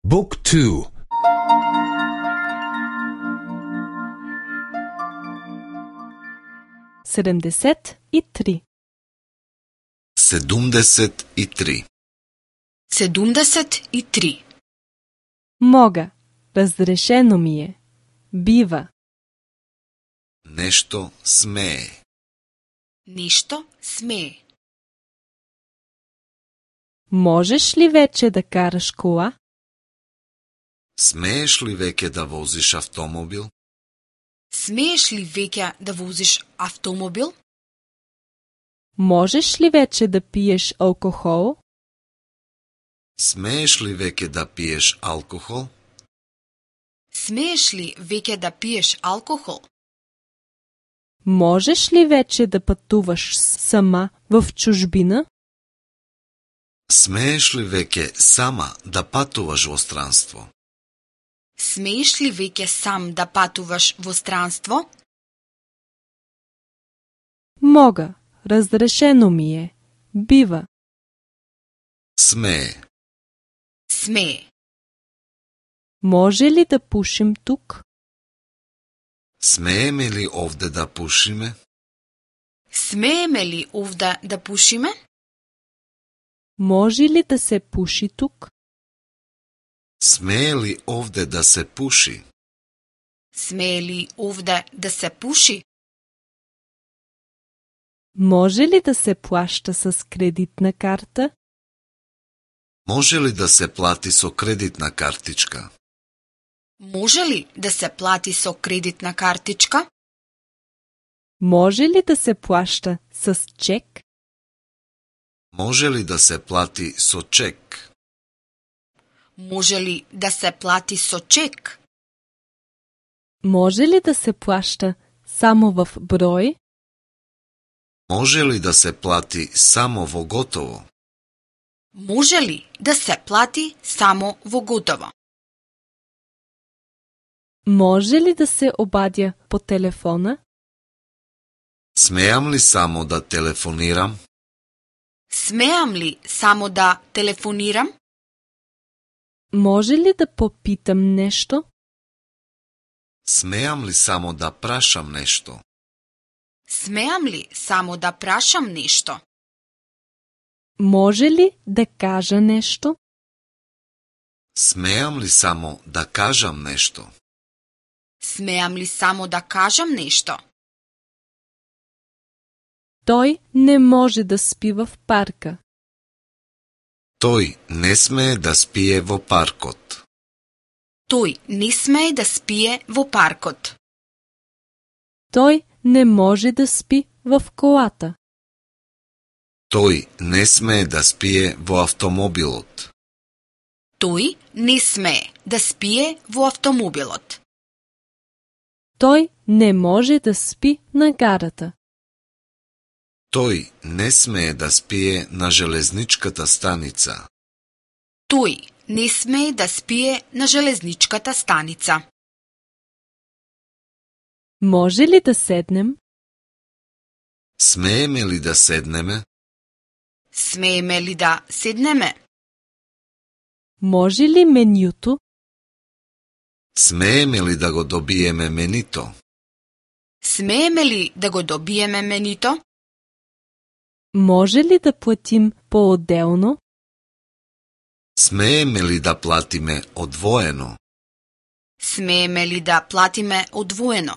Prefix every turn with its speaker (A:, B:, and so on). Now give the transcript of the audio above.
A: Book 2.
B: 73.
C: 73.
D: 73.
B: Мога. Разрешено ми е. Бива.
C: Нешто смее.
D: Нешто смее.
B: Можеш ли вече да караш кола?
C: Смееш ли веќе да возиш автомобил?
D: Смееш ли веќе да возиш автомобил?
B: Можеш ли вече да пиеш алкохол?
C: Смееш ли веќе да пиеш алкохол?
D: Смееш ли веќе да пиеш алкохол?
B: Можеш ли вече да пътуваш сама в чужбина?
C: Смееш ли веќе сама да патуваш во странство?
D: Смееш ли веќе сам да патуваш во странство?
B: Мога. Разрешено ми е. Бива.
C: Смее.
D: Смее.
B: Може ли да пушим тук?
C: Смееме ли овде да пушиме?
D: Смееме ли овде да пушиме?
B: Може ли да се пуши тук?
C: Смее ли овде да се пуши?
D: Смее ли овде да се пуши?
B: Може ли да се плаща с кредитна карта?
C: Може ли да се плати со кредитна картичка?
D: Може ли да се плати со кредитна картичка?
B: Може ли да се плаща с чек?
C: Може ли да се плати со чек?
D: Може ли да се плати со чек?
B: Може ли да се плаща само в брой?
C: Може ли да се плати само во готово?
D: Може ли да се плати само во готово?
B: Може ли да се обадя по телефона?
C: Смеам ли само да телефонирам?
D: Смеам ли само да телефонирам?
B: Може ли да попитам нещо?
C: Смеам ли само да прашам нешто?
D: Смеам ли само да прашам нешто?
B: Може ли да кажа нещо?
C: Смеам ли само да кажам нешто?
D: Смеам ли само да кажам нешто?
B: Той не може да спи в парка.
C: Тој не смее да спие во паркот.
D: Тој не смее да спие во паркот.
B: Той не може да спи в колата.
C: Тој не смее да спие во автомобилот.
D: Тој не смее да спие во автомобилот.
B: Той не може да спи на гарата.
C: Тој не смее да спие на железничката станица.
D: Тој не смее да спие на железничката станица.
B: Може ли да седнем?
C: Смееме ли да седнеме?
D: Смееме ли да седнеме?
B: Може ли менюто?
C: Смееме ли да го добиеме менито?
D: Смееме ли да го добиеме менито?
B: Може ли да платим по-отделно?
C: Смееме ли да платиме одвоено?
D: Смееме ли да платиме одвоено?